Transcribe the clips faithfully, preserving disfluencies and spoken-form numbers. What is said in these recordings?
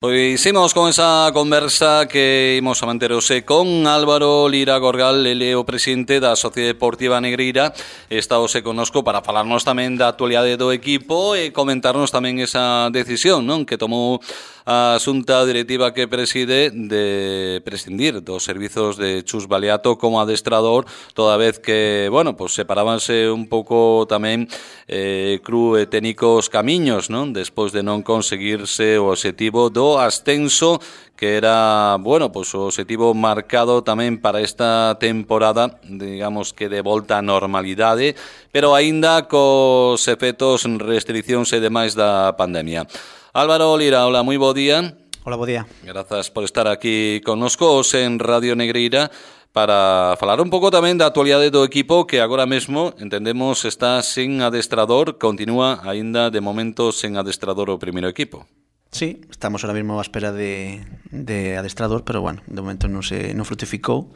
Pois imos con esa conversa que imos a manterose con Álvaro Lira Gorgal, ele é o presidente da Sociedade Deportiva Negreira. Está hoxe connosco para falarnos tamén da actualidade do equipo e comentarnos tamén esa decisión, non, que tomou a xunta directiva que preside de prescindir dos servizos de Chus Baliato como adestrador, toda vez que, bueno, pues separábanse un pouco tamén eh, Cru e Técnicos camiños, non, despois de non conseguirse o obxectivo do ascenso, que era, bueno, pues o obxectivo marcado tamén para esta temporada, digamos que de volta á normalidade, pero aínda cos efectos, restriccións e demais da pandemia. Álvaro Lira, hola, moi bo día. Hola, bo día. Grazas por estar aquí connosco en Radio Negreira para falar un pouco tamén da actualidade do equipo, que agora mesmo, entendemos, está sen adestrador, continúa aínda de momento sen adestrador o primeiro equipo. Sí, estamos ahora mismo á espera de, de adestrador, pero bueno, de momento non se non frutificou.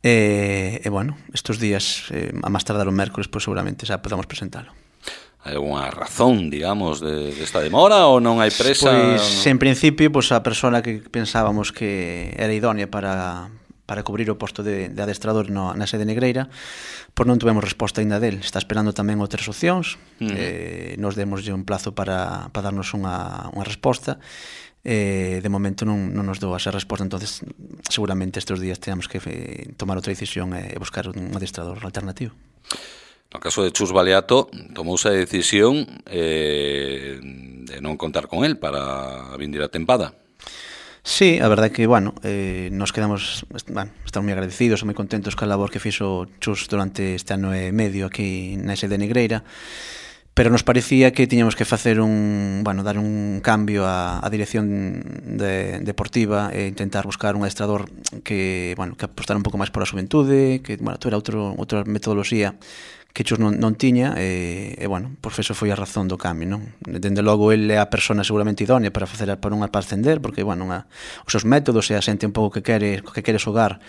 E, e bueno, estes días, eh, a máis tardar o mércoles, pues seguramente xa podamos presentalo. Hai alguna razón, digamos, de, de esta demora ou non hai presa? Pois, en principio, pues, a persona que pensábamos que era idónea para, para cubrir o posto de, de adestrador no, na sede negreira, pois non tuvemos resposta ainda del. Está esperando tamén outras opcións. Uh-huh. eh, nos demoslle un plazo para, para darnos unha, unha resposta. Eh, de momento non, non nos dou esa resposta, entonces seguramente estes días tenemos que eh, tomar outra decisión e eh, buscar un adestrador alternativo. No caso de Chus Baliato, tomouse a decisión eh, de non contar con él para a vindeira tempada. Sí, a verdade é que, bueno, eh, nos quedamos, bueno, estamos moi agradecidos e moi contentos ca labor que fixo Chus durante este ano e medio aquí na sede negreira, pero nos parecía que tiñamos que facer un, bueno, dar un cambio á, á dirección de, deportiva e intentar buscar un adestrador que, bueno, que apostara un pouco máis por a xuventude, que, bueno, era outro, outra metodoloxía que Chus non, non tiña, e, e bueno, pois eso foi a razón do cambio, non? Dende logo, ele é a persona seguramente idónea para facer para unha para ascender, porque, bueno, unha, os seus métodos e a xente un pouco que quere, que quere xogar,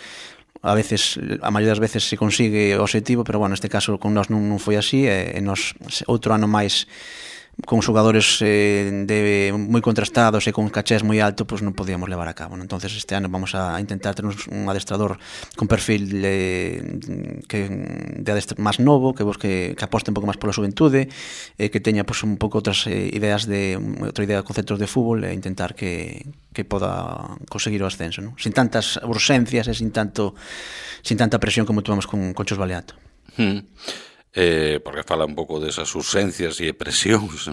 a veces, a maioría das veces se consigue o obxectivo, pero, bueno, neste caso con nós non, non foi así, e, e nos outro ano máis con xogadores eh, de moi contrastados e con cachés moi alto, pois non podíamos levar a cabo, non? Entonces este ano vamos a intentar ter un adestrador con perfil eh, que de adestrador máis novo, que busque, que aposte un pouco máis pola xuventude, eh, que teña pois un pouco outras eh, ideas de outra idea de conceptos de fútbol, e intentar que que poda conseguir o ascenso, non? Sin tantas urxencias e sin tanto sin tanta presión como tuvemos con, con Chus Baliato. Hmm. Eh, porque fala un pouco desas urxencias e presións.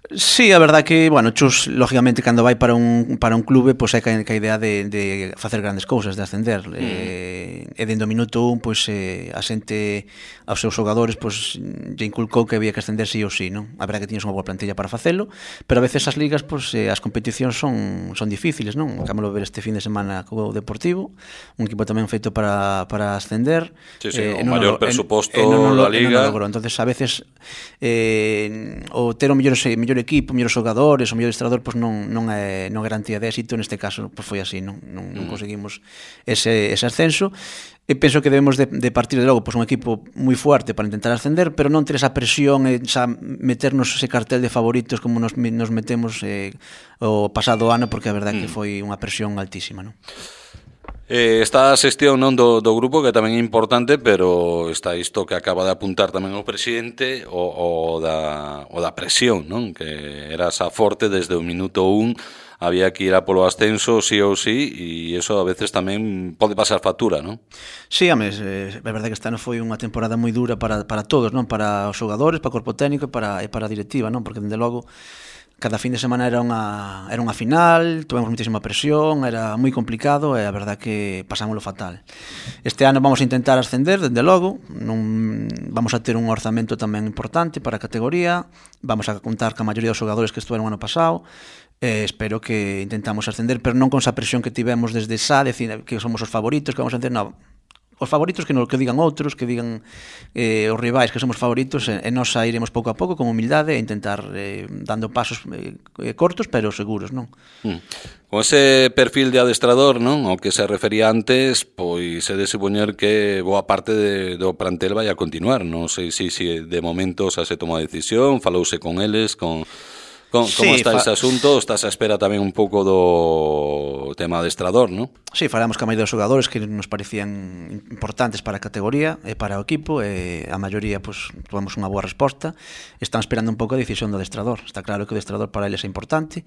Sí, a verdade que, bueno, Chus, lógicamente, cando vai para un, para un clube, pois hai que a idea de, de facer grandes cousas, de ascender. Mm. Eh, e dentro do minuto un, pois, eh, a xente, aos seus xogadores, pois, lle inculcou que había que ascender sí ou sí, non? A verdade que tiñes unha boa plantilla para facelo, pero a veces as ligas, pois, eh, as competicións son, son difíciles, non? Acabamos de ver este fin de semana co Deportivo, un equipo tamén feito para, para ascender. Sí, sí, eh, o maior presuposto da Liga. Entonces, a veces, eh, o ter o mellor, mellor equipo, mellores xogadores, o mellor adestrador, pois non non é non garantía de éxito. Neste caso, pois foi así, non non, non conseguimos ese ese ascenso. E penso que debemos de, de partir de logo pois un equipo moi fuerte para intentar ascender, pero non ter esa presión e xa meternos ese cartel de favoritos como nos nos metemos eh, o pasado ano, porque a verdade é que foi unha presión altísima, non? Eh, está a xestión, non, do, do grupo, que tamén é importante, pero está isto que acaba de apuntar tamén o presidente, o, o, da, o da presión, non? Que era esa forte desde o minuto un, había que ir a polo ascenso sí ou sí, e iso a veces tamén pode pasar factura, non? Sí, ames, é verdade que este ano foi unha temporada moi dura para, para todos, non? Para os xogadores, para o corpo técnico e para, e para a directiva, non? Porque, dende logo, cada fin de semana era unha era unha final, tivemos muitísima presión, era moi complicado e a verdade que pasámoslo fatal. Este ano vamos a intentar ascender, dende logo, non vamos a ter un orzamento tamén importante para a categoría, vamos a contar ca maioría dos xogadores que estuveron o ano pasado, e espero que intentamos ascender, pero non con esa presión que tivemos desde xa, decir que somos os favoritos, que vamos a hacer, non. Os favoritos que non que digan outros, que digan eh, os rivais que somos favoritos, e, e nós a iremos pouco a pouco con humildade e intentar eh, dando pasos eh, cortos pero seguros, non? Mm. Con ese perfil de adestrador, non, ao que se refería antes, pois é de supoñer que boa parte de, do plantel vai a continuar. Non sei se si, si de momento xa se toma a decisión, falouse con eles, con Como sí, está fa... ese asunto? Estás a espera tamén un pouco do tema adestrador, non? Sí, falamos ca maioría dos xogadores que nos parecían importantes para a categoría e para o equipo, e a maioría pues, tuvamos unha boa resposta. Están esperando un pouco a decisión do adestrador. Está claro que o adestrador para eles é importante,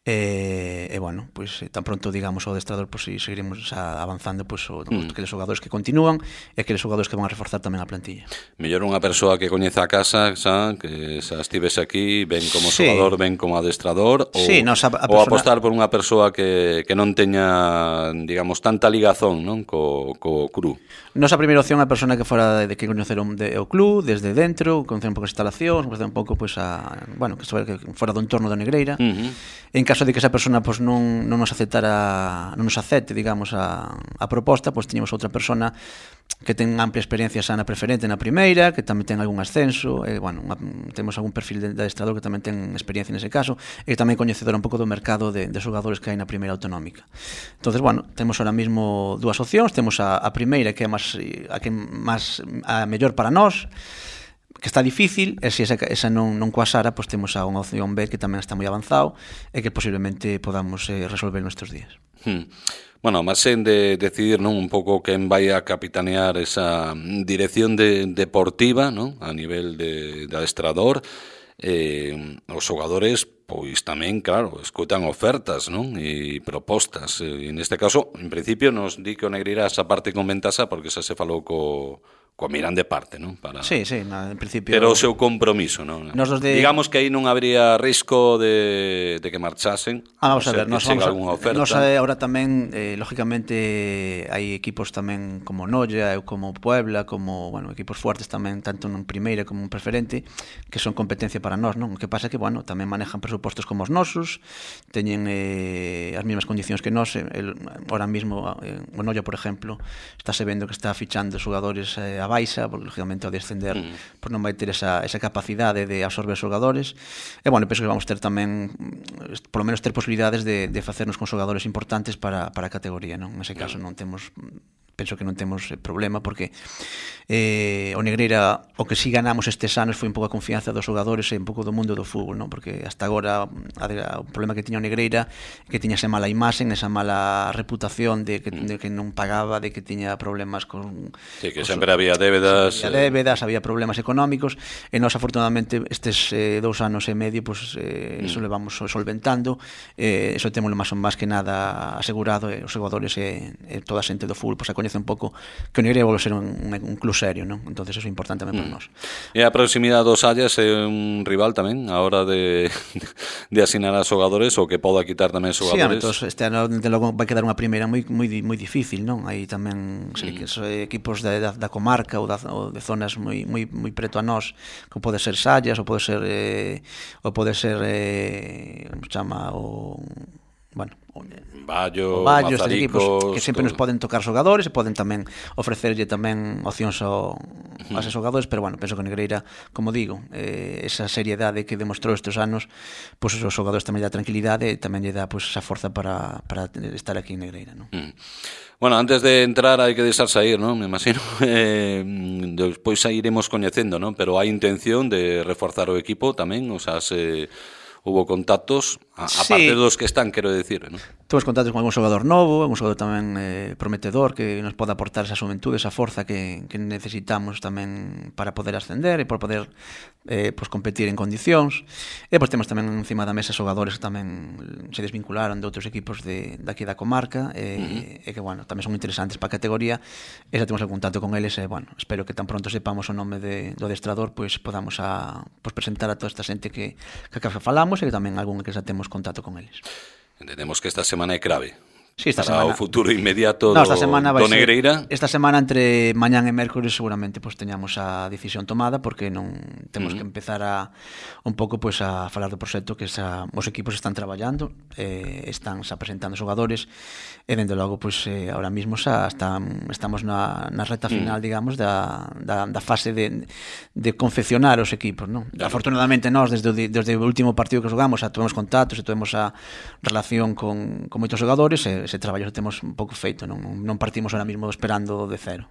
e, e bueno, pues, tan pronto digamos o adestrador, pues, seguiremos avanzando pues, o, mm. aqueles xogadores que continúan e aqueles xogadores que van a reforzar tamén a plantilla. Mellor unha persoa que coñeza a casa, xa, que xa estives aquí, ben como sí. xogador, ben como adestrador, ou, sí, nos, a, a ou persona... apostar por unha persoa que, que non teña, digamos, tanta ligazón, non, co, co cru. Nosa primeira opción é a persona que fora de que coñeceron de, o club, desde dentro, coñecer un pouco as instalacións, coñecer un pouco, pues, a, bueno, que fora do entorno da Negreira. Uh-huh. En caso de que esa persona pues, non, non nos aceptara, non nos acepte, digamos, a, a proposta, pues, tiñamos outra persona que ten amplia experiencia xa na preferente na primeira, que tamén ten algún ascenso, e, bueno, temos algún perfil de, de adestrador que tamén ten experiencia nese caso, e que tamén coñecedor un pouco do mercado de, de xogadores que hai na primeira autonómica. Entonces, bueno, temos ahora mismo dúas opcións, temos a, a primeira que é máis, a que máis a mellor para nós, que está difícil, e se esa, esa non, non coasara, pues temos a unha opción B que tamén está moi avanzado e que posiblemente podamos eh, resolver nestes días. Hmm. Bueno, máis en de decidir, non, un pouco quen vai a capitanear esa dirección de, deportiva, non, a nivel de, de adestrador, eh, os xogadores pois tamén, claro, escutan ofertas, non, e propostas, e neste caso, en principio, nos di que o Negreira esa parte con ventaxa porque xa se falou co coa Mirande parte, non? Para... Sí, sí, na, en principio... Pero o seu compromiso, non? De... Digamos que aí non habría risco de, de que marchasen. Ah, vamos a ver, nos vamos a... oferta. Nos agora tamén, eh, lógicamente, hai equipos tamén como Noia, como Puebla, como, bueno, equipos fuertes tamén, tanto en primeira como en preferente, que son competencia para nós, non? O que pasa é que, bueno, tamén manejan presupostos como os nosos, teñen eh, as mesmas condicións que nós, el, ahora mismo, eh, o Noia, por exemplo, estáse vendo que está fichando xogadores eh, a baixa, porque lógicamente ao descender mm. pues non vai ter esa, esa capacidade de absorber xogadores, e bueno, penso que vamos ter tamén por lo menos ter posibilidades de, de facernos con xogadores importantes para, para a categoría, non? Nese caso non temos, penso que non temos problema, porque eh, o Negreira, o que si ganamos estes anos foi un pouco a confianza dos xogadores e un pouco do mundo do fútbol, non? Porque hasta agora a, o problema que tiña o Negreira que tiña esa mala imaxen, esa mala reputación de que, de que non pagaba, de que tiña problemas con... Sí, que sempre había débedas. Había débedas, había problemas económicos, e nós afortunadamente estes eh, dous anos e medio, pues, eh, mm. eso le vamos solventando, eh, eso temos máis ou máis que nada asegurado, e os xogadores e, e toda a xente do fútbol pues, a coñece un pouco que o Negreira volve ser un, un, un club serio, non? Entonces eso é importante tamén mm. para nós. E a proximidade dos Sallas é un rival tamén a hora de, de asinar a xogadores, ou que poda quitar tamén xogadores. Sí, entón, este ano de logo vai quedar unha primeira moi moi moi difícil, non? Hai tamén mm. que so, equipos da, da, da comarca ou, da, ou de zonas moi moi moi preto a nós, que pode ser Sallas, ou pode ser eh, ou pode ser eh, como chama o bueno, Vallo, Vallo, estes equipos que sempre todo. Nos poden tocar xogadores e poden tamén ofrecerlle tamén opcións ao, a esos xogadores, pero bueno, penso que Negreira, como digo, eh, esa seriedade que demostrou estes anos, pois pues, os xogadores tamén dá tranquilidade e tamén lle dá pues, esa forza para, para estar aquí en Negreira, non? Mm. Bueno, antes de entrar hai que deixar sair, non? Me imagino. Eh, despois iremos coñecendo, non? Pero hai intención de reforzar o equipo tamén, o sea, se hubo contactos, a, sí. aparte dos que están, quero decir, non? Temos contactos con algún xogador novo, algún xogador tamén eh, prometedor que nos pode aportar esa xuventude, esa forza que, que necesitamos tamén para poder ascender e para poder eh, pues, competir en condicións. E pues, temos tamén encima da mesa xogadores que tamén se desvincularon de outros equipos de, de aquí da comarca e, uh-huh. e que, bueno, tamén son interesantes para a categoría e xa temos el contacto con eles e, bueno, espero que tan pronto sepamos o nome de, do adestrador, pues, podamos a, pues, presentar a toda esta xente que, que acá falamos e que tamén algún que xa temos contacto con eles. Entendemos que esta semana é clave. Sí, esta para semana. O futuro inmediato no, do, do Negreira. Ser, esta semana entre mañán e mércores seguramente pues, teñamos a decisión tomada porque non temos uh-huh. que empezar a un pouco pues, a falar do proxecto que esa, os equipos están traballando, eh, están xa presentando xogadores e dende logo pues, eh, ahora mismo xa están, estamos na, na reta final uh-huh. digamos da, da, da fase de, de confeccionar os equipos, non? Claro. Afortunadamente nós desde o, desde o último partido que xogamos xa tuvemos contactos e tuvemos a relación con, con moitos xogadores e ese traballo temos un pouco feito, non, non partimos ahora mismo esperando de cero.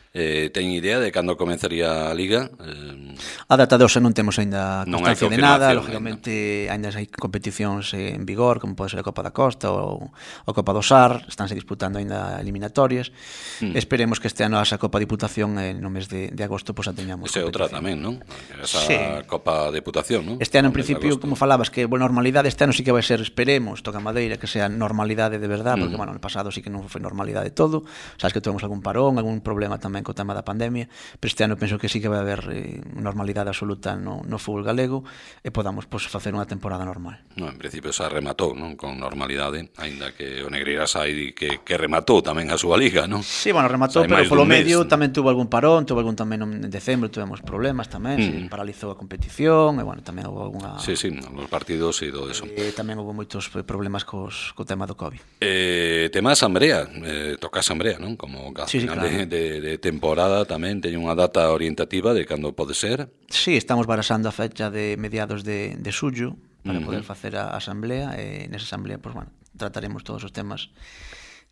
Eh, ten idea de cando comenzaría a Liga? Eh, a data de hoxe non temos aínda constancia de nada, lógicamente aínda hai competicións en vigor, como pode ser a Copa da Costa ou a Copa do Sar, estánse disputando aínda eliminatorias. Mm. Esperemos que este ano esa Copa Diputación eh, no mes de, de agosto pois a teñamos. Ese é outra tamén, non? Esa sí. Copa Diputación, non? Este ano en principio, como falabas, que boa normalidade, este ano sí que vai ser, esperemos, toca madeira, que sea normalidade de verdade, porque, mm. bueno, no pasado sí que non foi normalidade todo, sabes que tuvemos algún parón, algún problema tamén co tema da pandemia, pero este ano penso que sí que vai haber eh, normalidade absoluta no, no fútbol galego e podamos pues, facer unha temporada normal. No, en principio xa rematou, non? Con normalidade, aínda que o Negreira sai que, que rematou tamén a súa liga, non? Sí, bueno, rematou, pero polo medio mes, tamén tuvo algún parón, tuvo algún tamén en decembro, tuvemos problemas tamén, mm. se paralizou a competición, e bueno, tamén houve algunha... Sí, sí, nos partidos e todo eso. Eh, tamén houve moitos problemas cos, co tema do COVID. Eh, tema Sambrea, eh, toca Sambrea, non? Como a sí, final sí, claro. de, de, de temporada tamén teño unha data orientativa de cando pode ser. Sí, estamos barasando a fecha de mediados de, de xullo para uh-huh. poder facer a asamblea e nesa asamblea, pues, bueno, trataremos todos os temas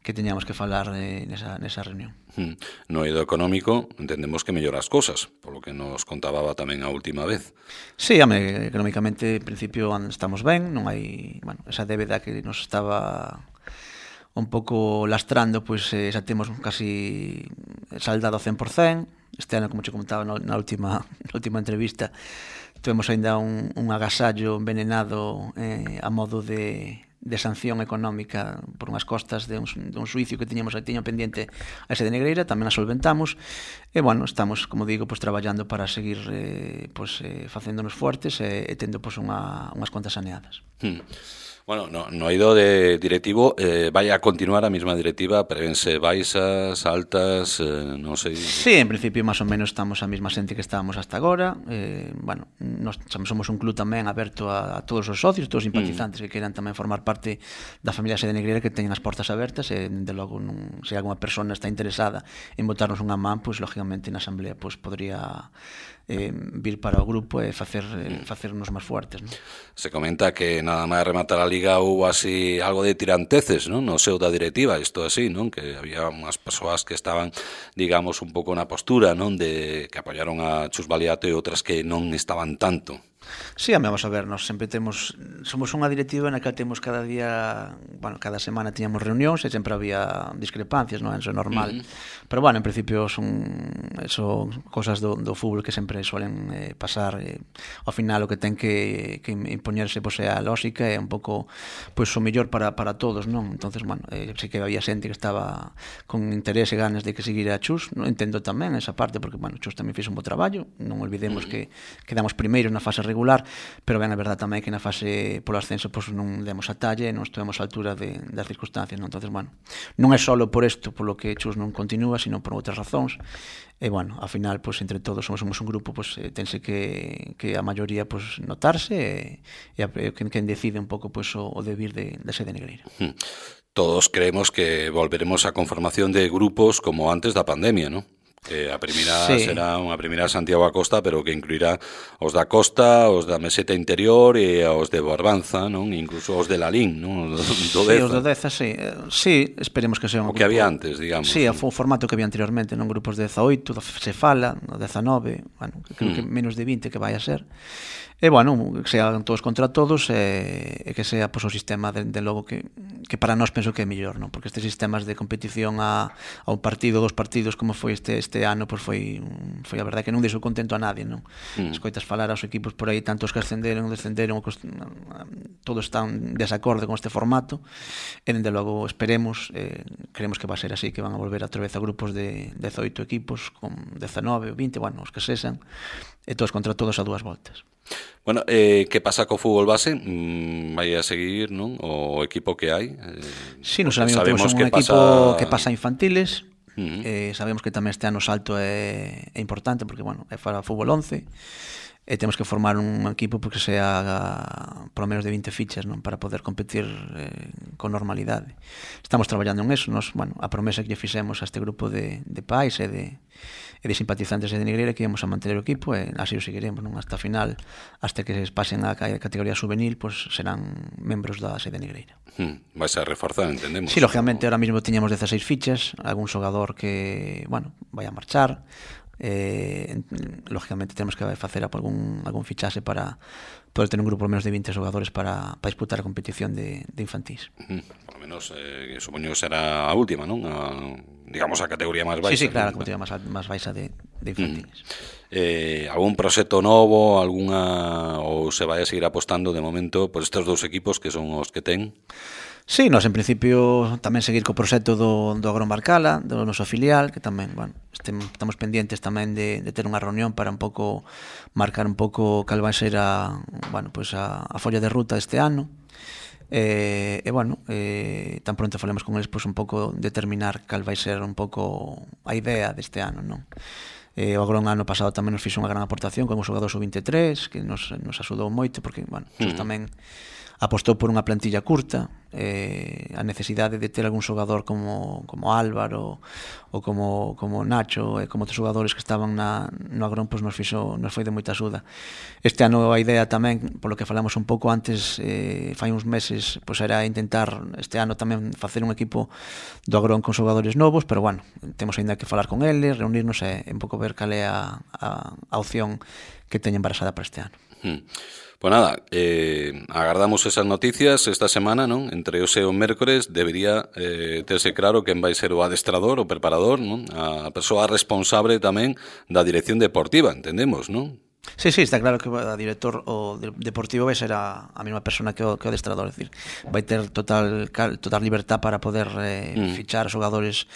que teñamos que falar eh, nesa, nesa reunión. Uh-huh. No eido económico entendemos que mellora as cosas, polo que nos contababa tamén a última vez. Sí, ame, económicamente en principio estamos ben, non hai, bueno, esa débeda que nos estaba un pouco lastrando, pois pues, eh, xa temos casi saldado ao cen por cento. Este ano, como che comentaba na última, na última entrevista, tuvemos ainda un, un agasallo envenenado eh, a modo de, de sanción económica por unhas costas de un, de un suicio que tiñamos tiño pendiente a ese de Negreira, tamén a solventamos e, bueno, estamos, como digo, pues, traballando para seguir eh, pues, eh, facéndonos fuertes e, e tendo pues, unha, unhas contas saneadas. Hmm. Bueno, no, no eido de directivo, eh, vai a continuar a mesma directiva, prevense baixas, altas, eh, non sei... Sí, en principio, máis ou menos, estamos a mesma xente que estábamos hasta agora. Eh, bueno, nos somos un club tamén aberto a, a todos os socios, todos os simpatizantes mm. que queiran tamén formar parte da familia Sede Negreira, que teñen as portas abertas, e, de logo, non, se alguma persona está interesada en botarnos unha man, pois, lógicamente, na asamblea, pois, podría... Eh, vir para o grupo e facer eh, facernos máis fuertes, non? Se comenta que nada máis rematar a liga houve así algo de tiranteces, non? No seu da directiva, isto así, non? Que había unhas persoas que estaban, digamos, un pouco na postura, non? De que apoyaron a Chus Baliato e outras que non estaban tanto. Sí, vamos a ver, nos sempre temos somos unha directiva na que temos cada día, bueno, cada semana tiñamos reunións e sempre había discrepancias, non? Eso é normal. Uh-huh. Pero bueno, en principio son eso cosas do, do fútbol que sempre suelen eh, pasar, eh, ao final o que ten que, que impoñerse pois é a lógica e un pouco pois o mellor para, para todos, non? Entonces, bueno, eh, sei que había xente que estaba con interés e ganas de que seguira a Chus, non entendo tamén esa parte porque, bueno, Chus tamén fixo un bo traballo, non olvidemos uh-huh. que quedamos primeiros na fase regular, pero ben a verdade tamén que na fase polo ascenso pois non demos a talla e non estivemos á altura de, das circunstancias, non? Entonces, bueno, non é solo por isto polo que Chus non continúa, sino por outras razóns. E, bueno, ao final, pois, entre todos somos, somos un grupo, pois, eh, tense que, que a maioría, pois, notarse e, e a, quen, quen decide un pouco, pois, o, o debir de, de Sede Negreira. Hmm. Todos creemos que volveremos á conformación de grupos como antes da pandemia, non? Que a primeira sí. será unha primeira Santiago a Costa, pero que incluirá os da Costa, os da Meseta Interior e os de Barbanza, non? Incluso os de Lalín, non? Do sí, os do Deza, sí. Sí, esperemos que sea un o grupo... que había antes, digamos. Sí, o formato que había anteriormente, non? Grupos de dezaoito, se fala, o dezanove, bueno, creo que menos de vinte que vai a ser. E, bueno, que sean todos contra todos e, e que sea, pois, o sistema, de, de logo, que, que para nós penso que é mellor, non? Porque estes sistemas de competición a, a un partido, dos partidos, como foi este este ano, pois foi, foi a verdade que non deixou contento a nadie, non? Mm. Escoitas falar aos equipos por aí, tantos que ascenderon, descenderon, todos están desacorde con este formato, e, dende logo, esperemos, eh, creemos que va a ser así, que van a volver outra vez a grupos de dezaoito equipos, con dezanove ou vinte, bueno, os que sexan, e todos contra todos a dúas voltas. Bueno, eh, que pasa co fútbol base? Mm, vai a seguir, non? O equipo que hai? Eh, sí, nos sabemos que un equipo pasa... que pasa infantiles. Uh-huh. Eh, sabemos que tamén este ano o salto é, é importante porque, bueno, é para fútbol once e temos que formar un equipo porque sea por lo menos de vinte fichas, non? Para poder competir eh, con normalidade. Estamos traballando en eso, nos, bueno, a promesa que lle fixemos a este grupo de, de pais e de, e de simpatizantes de Negreira que íamos a manter o equipo e así o seguiremos, non? Hasta a final, hasta que se pasen a categoría juvenil, pues serán membros da sede Negreira. Hmm, vais a reforzar, entendemos. Sí, lógicamente, ahora mismo teñamos dieciséis fichas, algún xogador que, bueno, vai a marchar, eh, lógicamente temos que facer algún, algún fichaxe para poder ter un grupo menos de vinte xogadores para, para disputar a competición de, de infantís. Uh-huh. Por lo menos, eh, supoño que será a última, non? A, digamos, a categoría máis baixa. Sí, sí, claro, a categoría máis, máis baixa de, de infantís. Uh-huh. Eh, algún proxecto novo, alguna, ou se vai a seguir apostando de momento por estes dous equipos que son os que ten? Sí, nós en principio tamén seguir co proxecto do, do Agromarcala, do noso filial, que tamén, bueno, estemos, estamos pendientes tamén de, de ter unha reunión para un pouco marcar un pouco cal vai ser a, bueno, pues a, a folla de ruta este ano. E, e bueno, eh, tan pronto falemos con eles, pues un pouco determinar cal vai ser un pouco a idea deste ano, non? Eh, o Agrón ano pasado tamén nos fixo unha gran aportación con o xogador sub vinte e tres, que nos, nos axudou moito, porque, bueno, mm. tamén apostou por unha plantilla curta, eh, a necesidade de ter algún xogador como, como Álvaro ou como, como Nacho e como outros xogadores que estaban na, no Agrón, pois nos, fixo, nos foi de moita axuda. Este ano a idea tamén, polo que falamos un pouco antes, eh, fai uns meses, pois era intentar este ano tamén facer un equipo do Agrón con xogadores novos, pero bueno, temos ainda que falar con eles, reunirnos e un pouco ver cal é a, a, a opción que teñen barasada para este ano. Hmm. Pues nada, eh, agardamos esas noticias esta semana, non? Entre hoxe e o mércores debería eh, terse claro quen vai ser o adestrador, o preparador, non? A persoa responsable tamén da dirección deportiva, entendemos, non? Sí, sí, está claro que o director o deportivo vai ser a, a mesma persona que o, que o adestrador, é dicir, vai ter total total libertad para poder eh, mm. fichar xogadores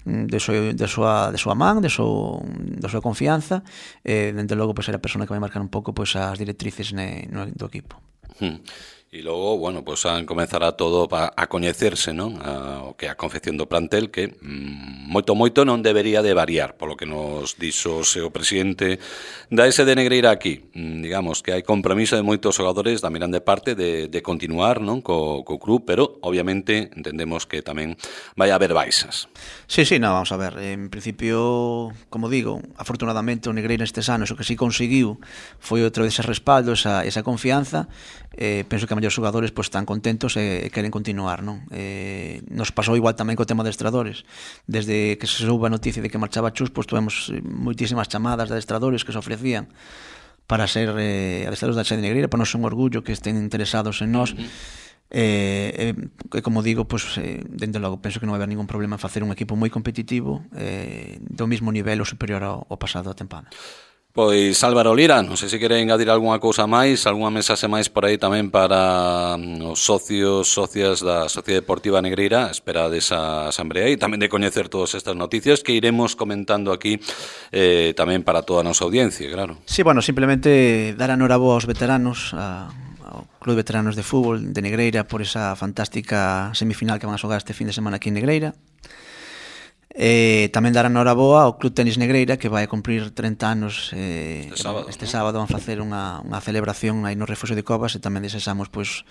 de súa de súa de súa man, de súa de súa confianza, e eh, dende logo pois será a persona que vai marcar un pouco pois as directrices ne, no do equipo. Mm. E logo, bueno, pues a comenzará todo a, a coñecerse, non? A, o que a confección do plantel que mm, moito moito non debería de variar, polo que nos dixo o seu presidente da S D Negreira aquí. Mm, digamos que hai compromiso de moitos xogadores da Miranda parte de, de continuar, non, co, co club, pero obviamente entendemos que tamén vai haber baixas. Sí, sí, no, vamos a ver, en principio, como digo, afortunadamente o Negreira estes anos o que sí conseguiu foi outro dese respaldo, esa, esa confianza. Eh, penso que a mellor xogadores pues, están contentos e queren continuar, non? Eh, nos pasou igual tamén co tema de adestradores. Desde que se souba a noticia de que marchaba Chus, pues, tuvemos moitísimas chamadas de adestradores que se ofrecían para ser eh, adestradores da sede Negreira, para nos un orgullo que estén interesados en nós. E, eh, eh, como digo, pues, eh, dende logo penso que non vai haber ningún problema en facer un equipo moi competitivo, eh, do mismo nivel ou superior ao, ao pasado da tempada. Pois Álvaro Lira, non sei se quere engadir algunha cousa máis, algunha mensaxe máis por aí tamén para os socios, socias da Sociedade Deportiva Negreira, espera desa asamblea e tamén de coñecer todas estas noticias que iremos comentando aquí eh, tamén para toda a nosa audiencia, claro. Sí, bueno, simplemente dar a noraboa aos veteranos, a, ao Club de Veteranos de Fútbol de Negreira por esa fantástica semifinal que van a xogar este fin de semana aquí en Negreira. Eh, tamén dar a noraboa ao Club Tenis Negreira que vai a cumprir treinta anos eh, este sábado, este ¿no? sábado van facer unha, unha celebración aí no Refuxio de Covas e tamén desexamos pois,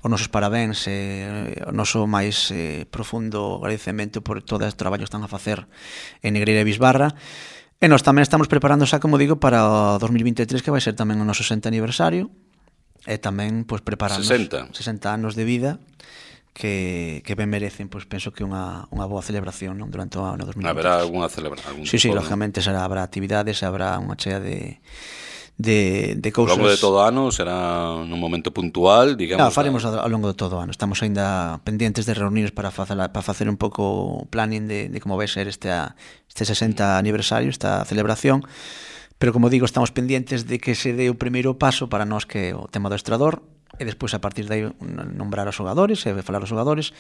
os nosos parabéns e o noso máis eh, profundo agradecemento por todo o traballo que están a facer en Negreira e Bisbarra. E nós tamén estamos preparando xa, como digo, para o dos mil vinte e tres que vai ser tamén o noso sesenta aniversario e tamén pois, prepararnos sesenta. sesenta anos de vida que, que ben merecen, pois penso que unha, unha boa celebración, non, durante o ano dos mil vinte e tres. Haberá algunha celebración? Sí, sí, lógicamente será, habrá actividades, habrá unha chea de de, de cousas. Ao longo de todo o ano será nun momento puntual, digamos. Claro, faremos ao longo de todo o ano. Estamos aínda pendientes de reunirnos para facer para facer un pouco planning de, de como vai ser este este sesenta aniversario, esta celebración. Pero como digo, estamos pendientes de que se dé o primeiro paso para nós, que é o tema do estrador, e despois a partir de aí nombrar os xogadores e falar os xogadores,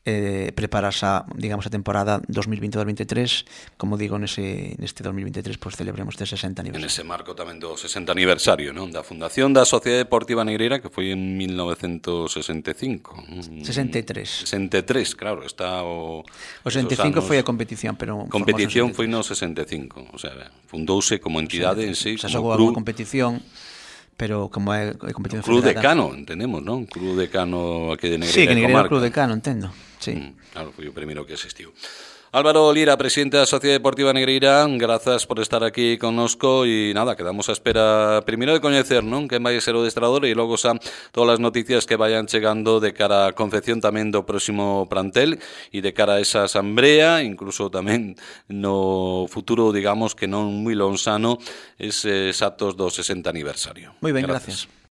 eh, prepararse a, digamos, a temporada dos mil vinte a dos mil veintitrés, como digo, nese, neste dos mil veintitrés pois celebremos este sesenta aniversario. En ese marco tamén do sesenta aniversario, non? Da fundación da Sociedade Deportiva Negreira, que foi en mil novecentos sesenta e cinco. sesenta e tres. sesenta e tres, claro, está o... O sesenta e cinco foi a competición, pero... Competición foi no sesenta e cinco, o sea, fundouse como entidade en sí, se como xogou club. a competición, pero como é competición Club federada... Decano, entendemos, non? Club Decano aquí de Negreira. Sí, que Negreira é o Club Decano, entendo. Sí. Mm, claro, foi o primeiro que existiu. Álvaro Lira, presidente da Sociedade Deportiva Negreira, grazas por estar aquí connosco e nada, quedamos a espera primeiro de coñecer, non? Quen vai ser o adestrador e logo xa todas as noticias que vayan chegando de cara á confección tamén do próximo plantel e de cara a esa asamblea, incluso tamén no futuro, digamos que non moi lonsano, eses actos do sesenta aniversario. Moi ben, gracias. gracias.